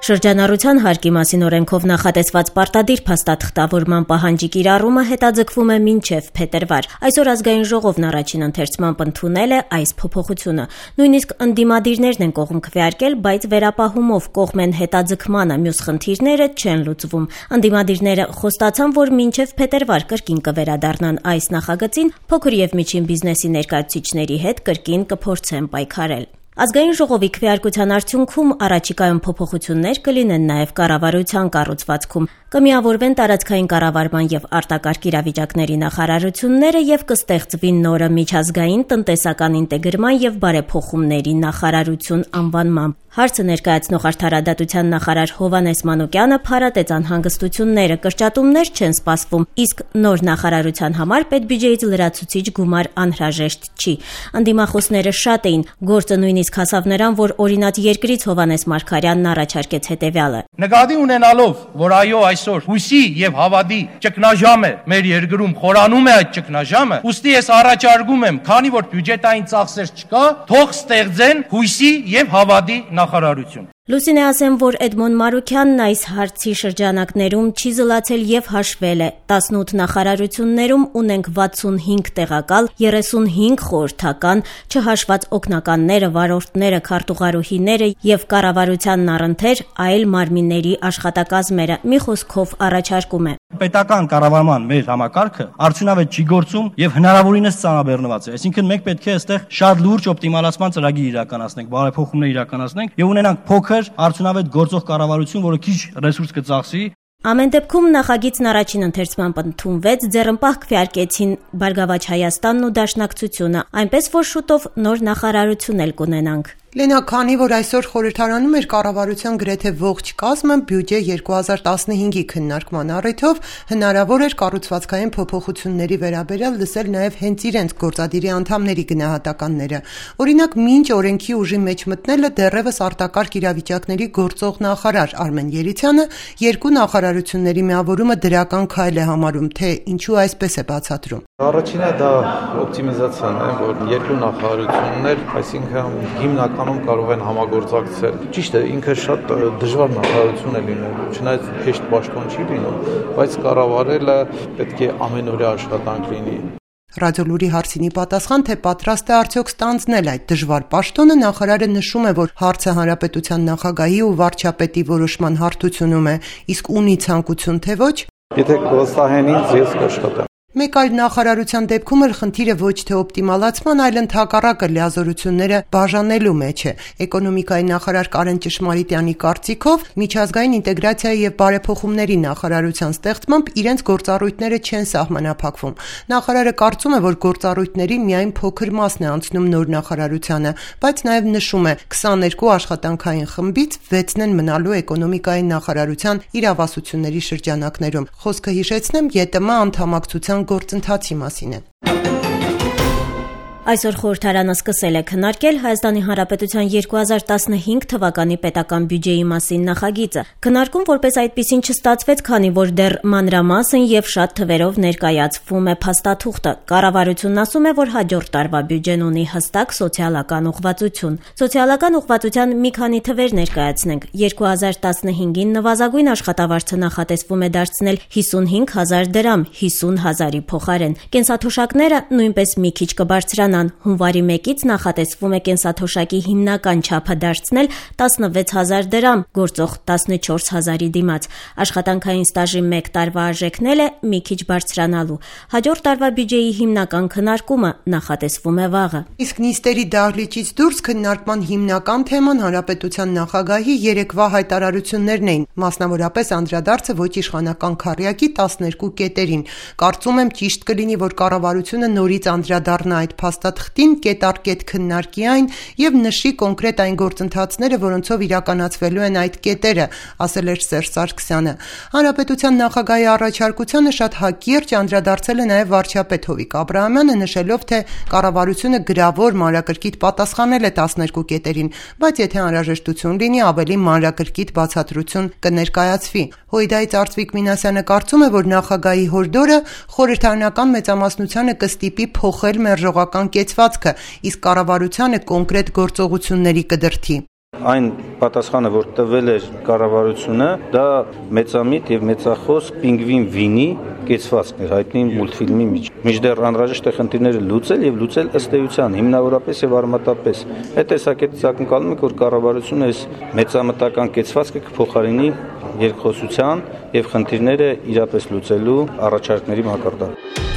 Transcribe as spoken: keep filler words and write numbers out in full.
Շրջանառության հարկի մասին օրենքով նախատեսված պարտադիր փաստաթղթավորման պահանջի կիրառումը հետաձգվում է մինչև փետրվար։ Այսօր Ազգային ժողովն առաջին ընթերցմամբ ընդունել է այս փոփոխությունը։ Նույնիսկ ընդդիմադիրներն են կողմ քվեարկել, բայց վերապահումով կողմեն հետաձգմանը մյուս խնդիրները չեն լուծվում։ Ընդդիմադիրները խոստացան, որ մինչև փետրվար կրկին կվերադառնան այս նախագծին, փոքր եւ միջին բիզնեսի ներկայացուցիչների հետ կրկին կփորձեն պայքարել։ Ազգային ժողովի քվեարկության արդյունքում առաջիկայում փոփոխություններ կլինեն նաև կառավարության կառուցվածքում, կմիավորվեն տարածքային կառավարման եւ արտակարգ իրավիճակների նախարարությունները եւ կստեղծվի նորը միջազգային տնտեսական ինտեգրման եւ բարեփոխումների նախարարություն անվանմամբ։ Հարցը ներկայացնող արդարադատության նախարար Հովհաննես Մանուկյանը փառատեց անհանգստությունները, կրճատումներ չեն սպասվում, իսկ նոր նախարարության համար պետբյուջեից լրացուցիչ գումար անհրաժեշտ չի։ Ընդդիմախոսները շատ էին, գործը նույնիսկ հասավ նրան, որ օրինաց երկրից Հովհաննես Մարգարյանն առաջարկեց հետևյալը. Նկատի ունենալով, որ այո այսօր հույսի եւ հավատի ճգնաժամ է մեր երկրում, խորանում է այդ ճգնաժամը, ուստի ես առաջարկում եմ, քանի որ բյուջետային ծախսեր չկա, թող ստեղծեն հույսի եւ հավատի նախարարություն։ Լուսինե ասեմ, որ Էդմոն Մարուքյանն այս հարցի շրջանակներում չի զլացել եւ հաշվել է։ տասնութ նախարարություններում ունենք վաթսունհինգ տեղակալ, երեսունհինգ խորհրդական, չհաշված օգնականները, վարորդները, քարտուղարուհիները եւ կառավարությանն առընթեր այլ մարմինների աշխատակազմերը։ Մի խոսքով առաջարկում է. Պետական կառավարման մեր համակարգը արդյունավետ չի գործում եւ հնարավորինս ծանրաբեռնված է։ Այսինքն մենք պետք է այստեղ շատ լուրջ օպտիմալացման ծրագիր իրականացնենք, բարեփոխումներ իրականացնենք եւ ունենանք փոքր արդյունավետ գործող կառավարություն, որը քիչ ռեսուրս կծախսի։ Ամեն դեպքում նախագիծն առաջին ընթերցմամբ ընդունվեց, ձեռնպահ քվեարկեցին Բարգավաճ Հայաստանն ու Դաշնակցությունը, այնպես որ շուտով նոր նախարարություն էլ կունենանք։ Լենա, քանի որ այսօր խորհրդարանում էր կառավարության գրեթե ողջ կազմը, բյուջե երկու հազար տասնհինգի քննարկման առիթով հնարավոր էր կառուցվածքային փոփոխությունների վերաբերյալ լսել նաև հենց իրենց գործադիրի անդամների գնահատականները։ Օրինակ, մինչ օրենքի ուժի մեջ մտնելը դեռևս արտակարգ իրավիճակների գործող նախարար Արմեն Երիցյանը երկու նախարարությունների միավորումը դրական քայլ է համարում, թե ինչու այսպես է բացատրում։ Առաջինը դա օպտիմիզացիան է, որ երկու նախարարություններ, այսինքն հիմնական կարող են համագործակցել։ Ճիշտ է, ինքը շատ դժվար նախարարություն է լինելու, չնայած հեշտ պաշտոն չի լինում, բայց կառավարելը պետք է ամենօրյա աշխատանք լինի։ Ռադիոլուրի հարցինի պատասխան, թե պատրաստ է արդյոք ստանձնել այդ դժվար պաշտոնը, նախարարը նշում է, որ հարցը հանրապետության նախագահի ու վարչապետի որոշման հարթությունում է, իսկ ունի ցանկություն թե ոչ։ Եթե կվստահեն ինձ, ես կաշխատեմ։ Մեկ այլ նախարարության դեպքում էլ խնդիրը ոչ թե օպտիմալացման, այլ ընդհակառակը լիազորությունները բաժանելու մեջ է։ Էկոնոմիկայի նախարար Կարեն Ճշմարիտյանի կարծիքով միջազգային ինտեգրացիայի եւ բարեփոխումների նախարարության ստեղծմամբ իրենց գործառույթները չեն սահմանափակվում։ Նախարարը կարծում է, որ գործառույթների միայն փոքր մասն է անցնում նոր նախարարությանը, բայց նաեւ նշում է, քսաներկու աշխատանքային խմբից վեցն են մնալու էկոնոմիկայի նախարարության իրավասությունների շրջանակներում։ Խոսքը հիշեցնեմ, ԵՏՄ անդամակցության գործընթացի մասին է։ Այսօր խորհրդարանը սկսել է քննարկել Հայաստանի Հանրապետության երկու հազար տասնհինգ թվականի պետական բյուջեի մասին նախագիծը։ Քննարկում որպես այդպիսին չստացվեց, քանի որ դեռ մանրամասն եւ շատ թվերով ներկայացվում է փաստաթուղթը։ Կառավարությունն ասում է, որ հաջորդ տարվա բյուջեն ունի հստակ սոցիալական ուղղվածություն։ Սոցիալական ուղղվածության մի քանի թվեր ներկայացնենք։ երկու հազար տասնհինգին նվազագույն աշխատավարձը նախատեսվում է դարձնել հիսունհինգ հազար դրամ, հիսուն հազարի փոխարեն։ Կենսաթոշակները նույնպես մի քիչ կբարձրանան։ Հունվարի մեկից նախատեսվում է կենսաթոշակի հիմնական չափը դարձնել տասնվեց հազար դրամ, գործող տասնչորս հազարի դիմաց։ Աշխատանքային ստաժի մեկ տարվա արժեքն էլ է մի քիչ բարձրանալու։ Հաջորդ տարվա բյուջեի հիմնական քննարկումը նախատեսվում է վաղը։ Իսկ նիստերի դահլիճից դուրս քննարկման հիմնական թեման հանրապետության նախագահի երեկվա հայտարարություններն էին, մասնավորապես անդրադարձը ոչ իշխանական քառյակի տասներկու կետերին։ Կարծում եմ ճիշտ կլինի, որ կառավարությունը նորից անդրադառնա այդ փաստաթղթին, կետ առ կետ քննարկի այն եւ նշի կոնկրետ այն գործընթացները, որոնցով իրականացվելու են այդ կետերը, ասել էր Սերժ Սարգսյանը։ Հանրապետության նախագահի առաջարկությանը շատ հակիրճ անդրադարձել է նաեւ վարչապետ Հովիկ Աբրահամյանը, նշելով, թե կառավարությունը գրավոր մանրակրկիտ պատասխանել է տասներկու կետերին, բայց եթե անհրաժեշտություն լինի, ավելի մանրակրկիտ բացատրություն կներկայացվի։ Հույդայից Արծվիկ Մինասյանը կարծում է, որ նախագահի հորդորը խորհրդարանական մեծամասնությանը կստիպի փոխել մերժողական կեցվածքը, իսկ կառավարությանը կոնկրետ գործողությունների կդրթի։ Այն պատասխանը, որ տվել էր կառավարությունը, դա մեծամիտ եւ մեծախոս Պինգվին Վինի կեցվածքն էր հայտնի մուլտֆիլմի մեջ։ Մինչդեռ անհրաժեշտ է խնդիրները լուծել եւ լուծել ըստ էության, հիմնավորապես եւ արմատապես։ Այդ տեսակետից ակնկալում ենք, որ կառավարությունը այս մեծամտական կեցվածքը կփոխարինի երկխոսության եւ խնդիրները իրապես լուծելու առաջարկների մակարդակ։